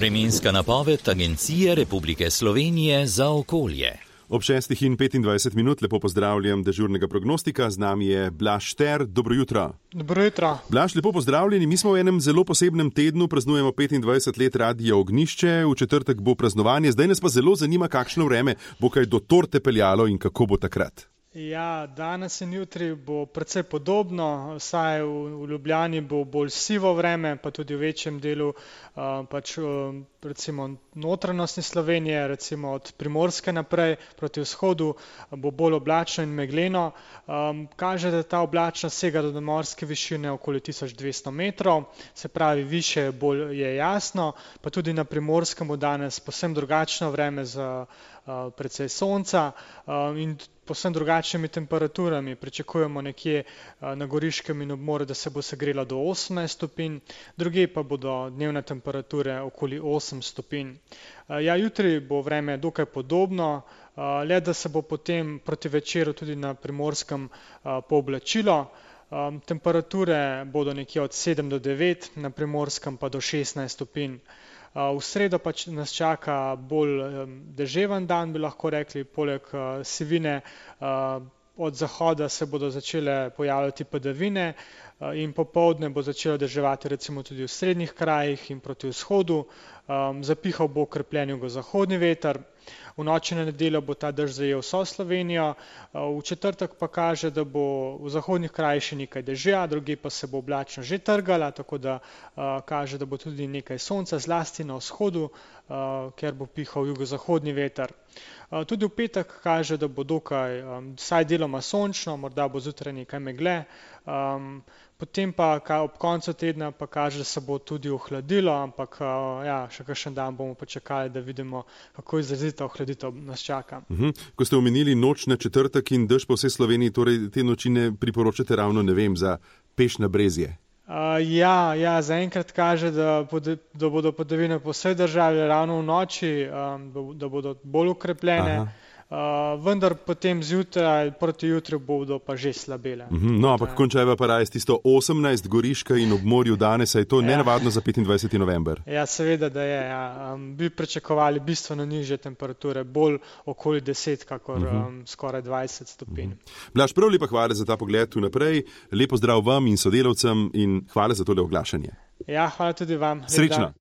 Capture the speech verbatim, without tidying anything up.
Vremenska napoved Agencije Republike Slovenije za okolje. Ob šestih in petindvajset minut lepo pozdravljam dežurnega prognostika, z nami je Blaž Šter. Dobro jutro. Dobro jutro. Blaž, lepo pozdravljeni. Mi smo v enem zelo posebnem tednu, praznujemo petindvajset let Radia Ognjišče, v četrtek bo praznovanje, zdaj nas pa zelo zanima, kakšno vreme bo kaj do torte peljalo in kako bo takrat. Ja, danes in jutri bo precej podobno, vsaj v, v Ljubljani bo bolj sivo vreme, pa tudi v večjem delu uh, pač, uh, recimo notranjosti Slovenije, recimo od Primorske naprej proti vzhodu bo bolj oblačno in megleno. Um, kaže, da ta oblačnost sega do morske višine okoli tisoč dvesto metrov, se pravi više bolj je jasno, pa tudi na Primorskem bo danes povsem drugačno vreme z uh, precej sonca uh, in povsem drugačnimi temperaturami. Pričakujemo nekje na Goriškem in ob morju, da se bo segrelo do osemnajst stopinj, drugje pa bodo dnevne temperature okoli osem stopinj. Ja, jutri bo vreme dokaj podobno, le da se bo potem proti večeru tudi na Primorskem pooblačilo. Temperature bodo nekje od sedem do devet, na Primorskem pa do šestnajst stopinj. V sredo pa nas čaka bolj deževen dan, bi lahko rekli, poleg sivine od zahoda se bodo začele pojavljati padavine in popoldne bo začelo deževati recimo tudi v srednjih krajih in proti vzhodu. Zapihal bo okrepljen jugozahodni veter. V noči na nedeljo bo ta dež zajel vso Slovenijo, v četrtek pa kaže, da bo v zahodnih krajih še nekaj dežja, drugje pa se bo oblačno že trgala, tako da uh, kaže, da bo tudi nekaj sonca, zlasti na vzhodu, uh, ker bo pihal jugozahodni veter. Uh, tudi v petek kaže, da bo dokaj um, vsaj deloma sončno, morda bo zjutraj nekaj megle. Um, Potem pa ob koncu tedna pa kaže, da se bo tudi ohladilo, ampak ja, še kakšen dan bomo počakali, da vidimo, kako izrazita ohladitev nas čaka. Uhum. Ko ste omenili noč na četrtek in dež po vsej Sloveniji, torej te noči ne priporočate ravno, ne vem, za peš na brezje? Uh, ja, ja, zaenkrat kaže, da, pod, da bodo padavine po vsej državi ravno v noči, um, da bodo bolj ukrepljene. Aha. Uh, vendar potem zjutraj, proti jutri bodo pa že slabele. Mm-hmm, no, ampak končajva pa raje s tisto osemnajst Goriška in ob morju danes, je to ja. Nenavadno za petindvajseti november. Ja, seveda, da je. Ja. Um, bi pričakovali bistveno nižje temperature, bolj okoli deset, kakor mm-hmm. um, skoraj dvajset stopinj. Mm-hmm. Blaž, prav lepa hvala za ta pogled vnaprej, lepo zdrav vam in sodelavcem in hvala za tole oglašanje. Ja, hvala tudi vam. Srečno.